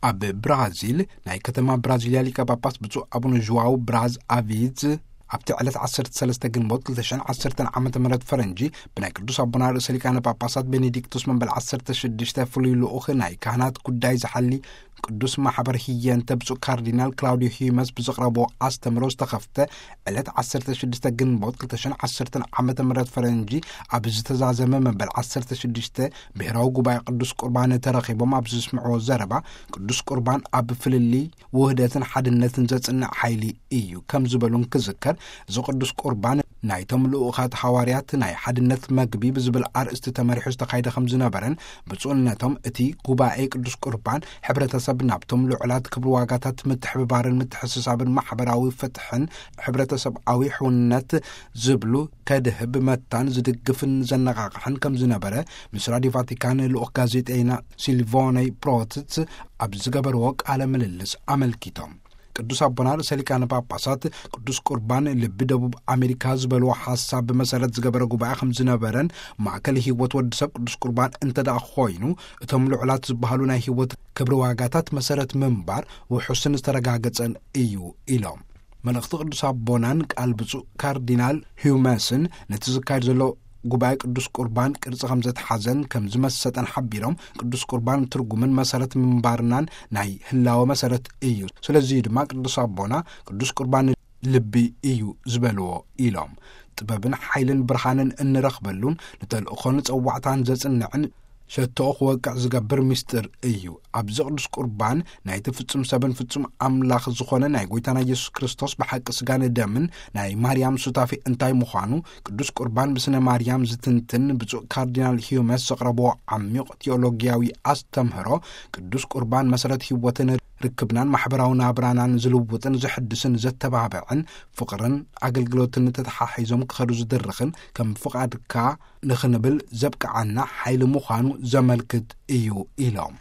ኣብ ብራዚል ናይ ከተማ ብራዚልያ ሊቀ ጳጳስ ብፁዕ ኣቡነ ዥዋው ብራዝ ኣቪዝ ኣብቲ ዕለት ዓሰርተ ሰለስተ ግንቦት ክልተ ሽሕን ዓሰርተን ዓመተ ምህረት ፈረንጂ ብናይ ቅዱስ ኣቦና ርእሰ ሊቃነ ጳጳሳት ቤኔዲክቱስ መበል ዓሰርተ ሽዱሽተ ፍሉይ ልኡኽ ናይ ካህናት ጉዳይ ዝሓሊ ቅዱስ ማሕበር ህየንተ ብፁዕ ካርዲናል ክላውዲዮ ሂመስ ብዘቕረቦ ኣስተምሮ ዝተኸፍተ ዕለት ዓሰርተ ሽዱሽተ ግንቦት ክልተ ሽሕን ዓሰርተን ዓመተ ምህረት ፈረንጂ ኣብ ዝተዛዘመ መበል ዓሰርተ ሽዱሽተ ብሔራዊ ጉባኤ ቅዱስ ቁርባን ተረኺቦም ኣብ ዝስምዕዎ ዘረባ ቅዱስ ቁርባን ኣብ ፍልልይ ውህደትን ሓድነትን ዘጽንዕ ሓይሊ እዩ ከም ዝበሉን ክዝከር፣ እዚ ቅዱስ ቁርባን ናይቶም ልኡኻት ሃዋርያት ናይ ሓድነት መግቢ ብዝብል ኣርእስቲ ተመሪሑ ዝተኻይደ ከም ዝነበረን ብፁዕነቶም እቲ ጉባኤ ቅዱስ ቁርባን ሕብረተሰብ ናብቶም ልዑላት ክብሪ ዋጋታት ምትሕብባርን ምትሕስሳብን ማሕበራዊ ፍትሕን ሕብረተሰብኣዊ ሕውነት ዝብሉ ከድህብ መታን ዝድግፍን ዘነቓቕሕን ከም ዝነበረ ምስ ራዲዮ ቫቲካን ልኡኽ ጋዜጠይና ሲልቮነይ ፕሮትስ ኣብ ዝገበርዎ ቃለ ምልልስ ኣመልኪቶም። ቅዱስ ኣቦና ርእሰ ሊቃነ ጳጳሳት ቅዱስ ቁርባን ልቢ ደቡብ ኣሜሪካ ዝበልዎ ሓሳብ ብመሰረት ዝገበረ ጉባኤ ከም ዝነበረን ማእከል ህይወት ወዲ ሰብ ቅዱስ ቁርባን እንተ ደኣ ኮይኑ እቶም ልዑላት ዝበሃሉ ናይ ህይወት ክብሪ ዋጋታት መሰረት ምንባር ውሑስን ዝተረጋገጸን እዩ ኢሎም። መልእኽቲ ቅዱስ ኣቦናን ቃል ብፁዕ ካርዲናል ሂውመስን ነቲ ዝካየድ ዘሎ ጉባኤ ቅዱስ ቁርባን ቅርጺ ከም ዘተሓዘን ከም ዝመሰጠን ሓቢሮም፣ ቅዱስ ቁርባን ትርጉምን መሰረት ምንባርናን ናይ ህላወ መሰረት እዩ። ስለዚ ድማ ቅዱስ ኣቦና ቅዱስ ቁርባን ልቢ እዩ ዝበልዎ ኢሎም። ጥበብን ሓይልን ብርሃንን እንረኽበሉን ንተልእኾን ጸዋዕታን ዘጽንዕን ሸቶኡ ክወቅዕ ዝገብር ምስጢር እዩ። ኣብዚ ቅዱስ ቁርባን ናይቲ ፍጹም ሰብን ፍጹም ኣምላኽ ዝኾነ ናይ ጎይታና ኢየሱስ ክርስቶስ ብሓቂ ስጋን ደምን ናይ ማርያም ሱታፌ እንታይ ምዃኑ ቅዱስ ቁርባን ብስነ ማርያም ዝትንትን ብፁዕ ካርዲናል ሂዩመስ ዘቕረብዎ ዓሚቕ ቴዎሎጊያዊ ኣስተምህሮ፣ ቅዱስ ቁርባን መሰረት ህይወትን ርክብናን ማሕበራዊ ናብራናን ዝልውጥን ዝሕድስን ዘተባብዕን ፍቕርን ኣገልግሎትን ተተሓሒዞም ክኸዱ ዝድርኽን ከም ፍቓድካ ንኽንብል ዘብቅዓና ሓይሊ ምዃኑ ዘመልክት እዩ ኢሎም።